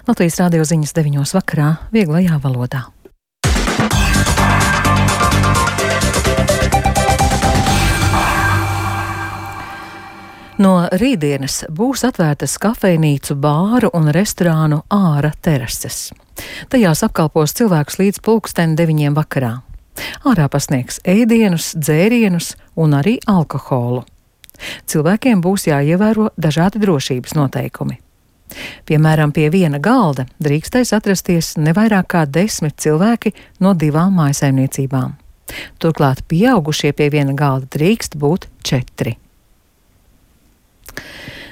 Latvijas radio ziņas 9 vakarā vieglajā valodā. No rītdienas būs atvērtas kafejnīcu, bāru un restorānu āra terases. Tajās apkalpos cilvēkus līdz 9:00 vakarā. Ārā pasniegs ēdienus, dzērienus un arī alkoholu. Cilvēkiem būs jāievēro dažādi drošības noteikumi. Piemēram, pie viena galda drīkstēs atrasties nevairāk kā 10 cilvēki no 2 mājsaimniecībām. Turklāt pieaugušie pie viena galda drīkst būt 4.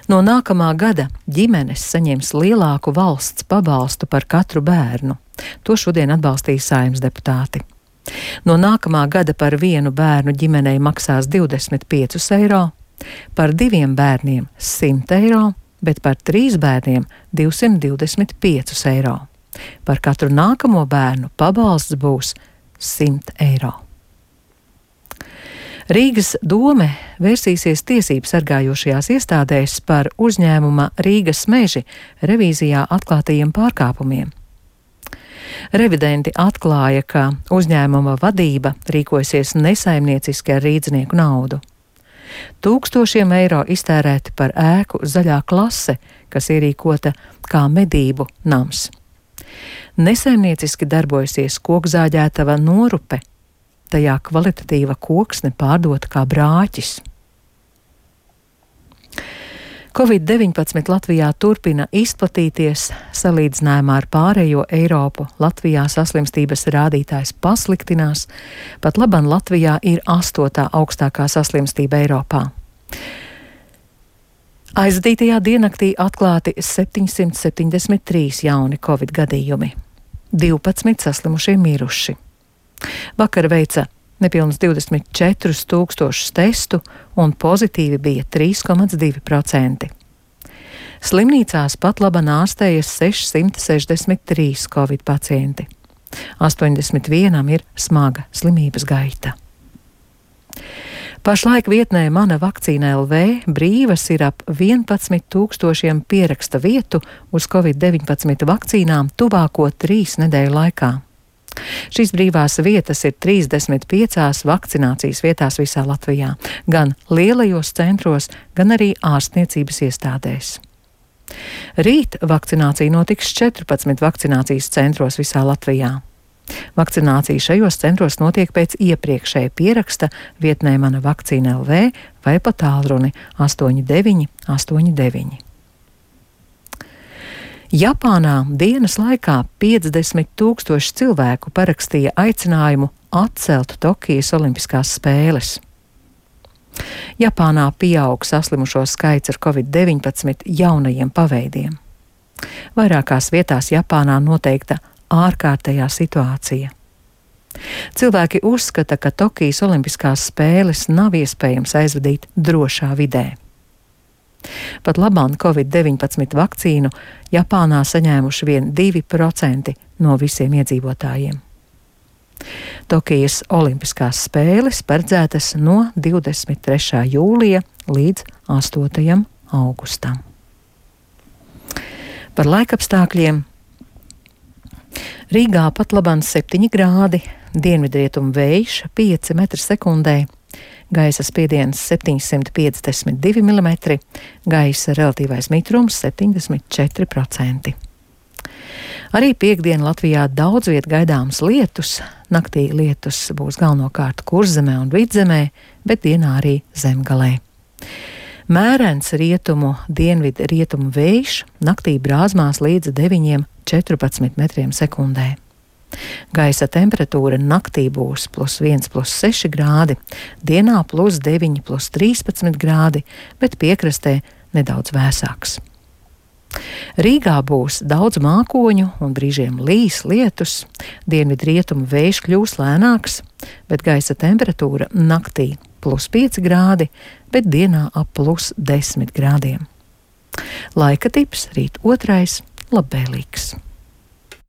No nākamā gada ģimenes saņems lielāku valsts pabalstu par katru bērnu. To šodien atbalstīja Saeimas deputāti. No nākamā gada par vienu bērnu ģimenei maksās 25 eiro, par 2 bērniem 100 eiro, bet par 3 bērniem 225 eiro. Par katru nākamo bērnu pabalsts būs 100 eiro. Rīgas dome vērsīsies tiesību sargājošajās iestādēs par uzņēmuma Rīgas meži revīzijā atklātajiem pārkāpumiem. Revidenti atklāja, ka uzņēmuma vadība rīkojasies nesaimnieciski ar rīdznieku naudu. Tūkstošiem eiro iztērēti par ēku Zaļā klase, kas ierīkota kā medību nams. Nesaimnieciski darbojasies kokzāģētava Norupe, tajā kvalitatīva koksne pārdota kā brāķis. Covid-19 Latvijā turpina izplatīties. Salīdzinājumā ar pārējo Eiropu Latvijā saslimstības rādītājs pasliktinās, pat laban Latvijā ir 8. augstākā saslimstība Eiropā. Aizvadītajā diennaktī atklāti 773 jauni Covid gadījumi, 12 saslimušie miruši. Vakar veica nepilnus 24 000 testu un pozitīvi bija 3,2%. Slimnīcās pat laban ārstējas 663 Covid pacienti. 81 ir smaga slimības gaita. Pašlaik vietnē Mana vakcīna LV brīvas ir ap 11 000 pieraksta vietu uz Covid-19 vakcīnām tuvāko 3 nedēļu laikā. Šīs brīvās vietas ir 35 vakcinācijas vietās visā Latvijā, gan lielajos centros, gan arī ārstniecības iestādēs. Rīt vakcinācija notiks 14 vakcinācijas centros visā Latvijā. Vakcinācija šajos centros notiek pēc iepriekšēja pieraksta vietnē Mana vakcīna LV vai pa tālruni 8989. Japānā dienas laikā 50 000 cilvēku parakstīja aicinājumu atcelt Tokijas Olimpiskās spēles. Japānā pieaug saslimušo skaits ar Covid-19 jaunajiem paveidiem. Vairākās vietās Japānā noteikta ārkārtējā situācija. Cilvēki uzskata, ka Tokijas Olimpiskās spēles nav iespējams aizvadīt drošā vidē. Pat labāk Covid-19 vakcīnu Japānā saņēmuši vien 2% no visiem iedzīvotājiem. Tokijas Olimpiskās spēles paredzētas no 23. jūlija līdz 8. augustam. Par laikapstākļiem. Rīgā pat labāk 7 grādi, dienvidrietumu vējš 5 m/sekundē. Gaisa spiediens 752 mm, gaisa relatīvais mitrums 74%. Arī piektdien Latvijā daudz viet gaidāms lietus. Naktī lietus būs galvenokārt Kurzemē un Vidzemē, bet dienā arī Zemgalē. Mērens rietumu, dienvidu rietumu vējš naktī brāzmās līdz 9–14 m/sekundē. Gaisa temperatūra naktī būs +1, +6 grādi, dienā +9, +13 grādi, bet piekrastē nedaudz vēsāks. Rīgā būs daudz mākoņu un brīžiem līs lietus, dienvidu rietumu vējš kļūs lēnāks, bet gaisa temperatūra naktī +5 grādi, bet dienā ap +10 grādiem. Laika tips rīt 2. labvēlīgs.